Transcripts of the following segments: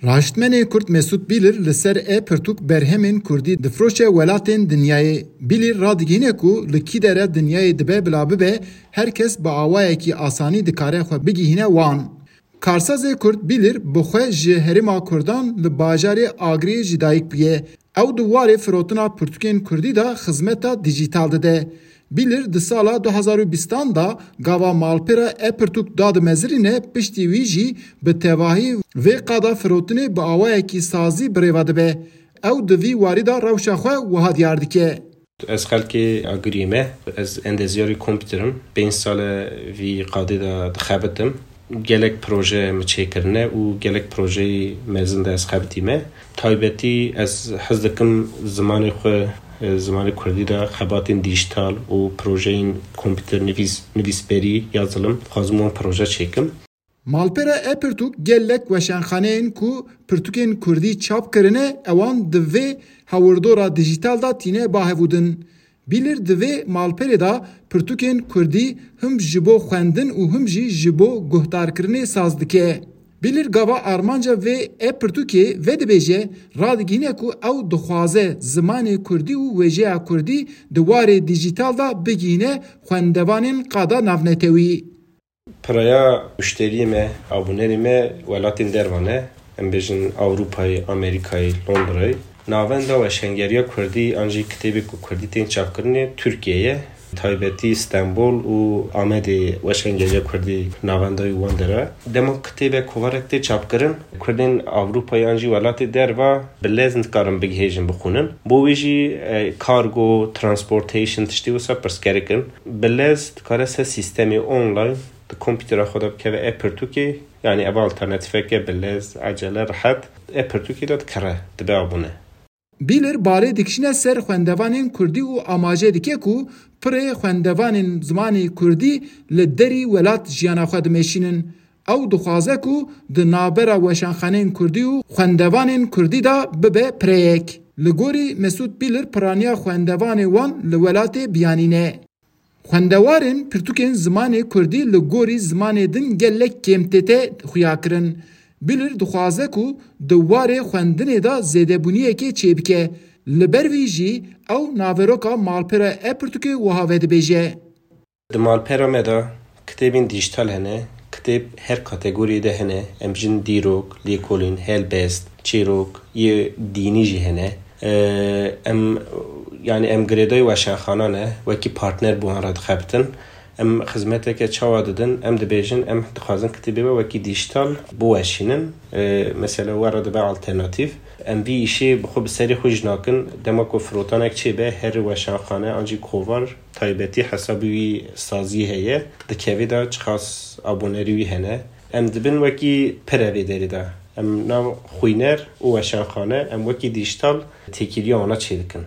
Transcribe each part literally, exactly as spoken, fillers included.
Raştmenê Kurd Mesûd Bîlir li ser e pirtûk berhemên Kurdî difroşe welatên dinyayê. Bîlir radigihîne ku li kî dere dinyayê dibe bila bibe, her kes bi awayekî asanî dikare xwe bigihîne wan. Karsazê Kurd Bîlir bi xwe ji herêma Kurdan li bajarê Agrê ji dayik bûye. Ew di warê firotina pirtûkên Kurdî de xizmeta dîjîtal dide. Bîlir di sala du hezar û bîstan de gava malpêra e-pirtûk dadimezirîne, piştî wî jî bi tevahî vê qada firotinê bi awayekî sazî bi rêve dibe. Ew di vî warî de rewşa xwe wiha diyar dike. Ez xelkê Agiriyê me, ez endezyarê kompîter im. Pênc sal e vî qadê de dixebitim. Gelek proje min çêkirine û gelek projeyê mezin de ez xebitîme. Taybetî ez hez dikim zimanê xwe, e, zimanê kurdî de xebatên dîjîtal û projeyên kompîter nivîs-, nivîsberî, yazılım, dixwazim wan proje çêkim. Malpera e-pirtûk gelek weşanxaneyên ku pirtûkên kurdî çap kirine, ewan di vê hewirdora dîjîtal de tîne ba hevûdin. Bîlir di vê malperê de pirtûkên kurdî him ji bo xwendin û him jî ji bo guhdarkirinê saz dike. Bîlir gava armanca vê e-pirtûkê vedibêje, radigihîne ku ew dixwaze zimanê kurdî û wêjeya kurdî di warê dîjîtal de bigihîne xwendevanên qada navnetewî. Piraya muşteriyê me, abûnerê me welatên derva ne. Em bêjin Ewropayê, Amerîkayê, Londrayê. Navenda weşengeriya kurdî an jî kitêbê ku kurdî tên çapkirinê Tirkiye ye. Taybetî Stenbol û Amedê weşengeriya kurdî navenda wî wan der e. Dema kitêbe kovarek tê çapkirin, kurdên Ewropayê an jî welatê derva bi lez nikarin bigihêjin bixwînin. Bo wî jî, e, kargo, transportation, tiştê wisa pirsgerek in. Bi lez dikare ser sîstemê online di kompîtera xwe de bikeve e-pirtûkê, yanî ev alternatîfeke bi lez, ecele, rehet, e-pirtûkê de dikire, dibe abûne. Bîlir barê dikişîne ser xwendevanên kurdî û amaje dike ku pirê xwendevanên zimanê kurdî li derî welat jiyana xwe dimeşînin. Ew dixwaze ku di navbera weşanxaneyên kurdî û xwendevanên kurdî de bibe pireyek. Li gorî Mesûd Bîlir, piraniya xwendevanê wan li welatê biyanî ne. Xwendewarên pirtûkên zimanê kurdî li gorî zimanê din gelek kêm tête xuyakirin. Bîlir dixwaze ku di warê xwendinê de zêdebûniyekê çêbike. Li ber vî jî ew naveroka malpera e-pirtûkê wiha vedibêje. Di malpera me de kitêbên dîjîtal hene, kitêb her kategoriyê de hene, em jin dîrok, lêkolîn, helbest, çîrok, yê dînî jî hene. Ee, em, yanî em girêdayî weşanxanan e, wekî partner bi wan re dixebitin. Em xizmeteke çawa didin? Em dibêjin, em dixwazin kitêbê we wekî dîjîtal biweşînin. Ee, mesela we re dibe alternatîf. Em vî îşê bi xwe bi serê xwe jî nakin. Dema ku firotanek çêbe, her weşanxane an jî kovar taybetî hesabî wî sazî heye. Dikevê de çiqas abonerî wî hene. Em dibin wekî pire vê derê de. Em nav xwîner û weşanxane, em wekî dîjîtal têkiliya wana çêdikin.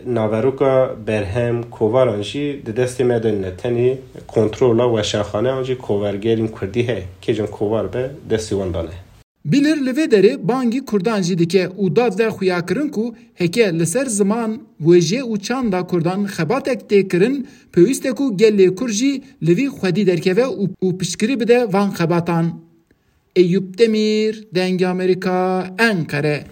Naveroka berhem, kovaran jî di destê me de nîne. Tenê kontrola weşanxane an jî kovargerên kurdî heye. Kêjan kovar be, destê wan de ne. Bîlir li vê derê bangî kurdan jî dike û dad de xuyakirin ku heke li ser ziman, wêje û çanda kurdan xebatek tê kirin, pêwîst e ku gelê kurd jî li vî xwedî derkeve û, û piştgirî bide van xebatan. Eyûp Demîr, Dengê Amerîka, Enqere.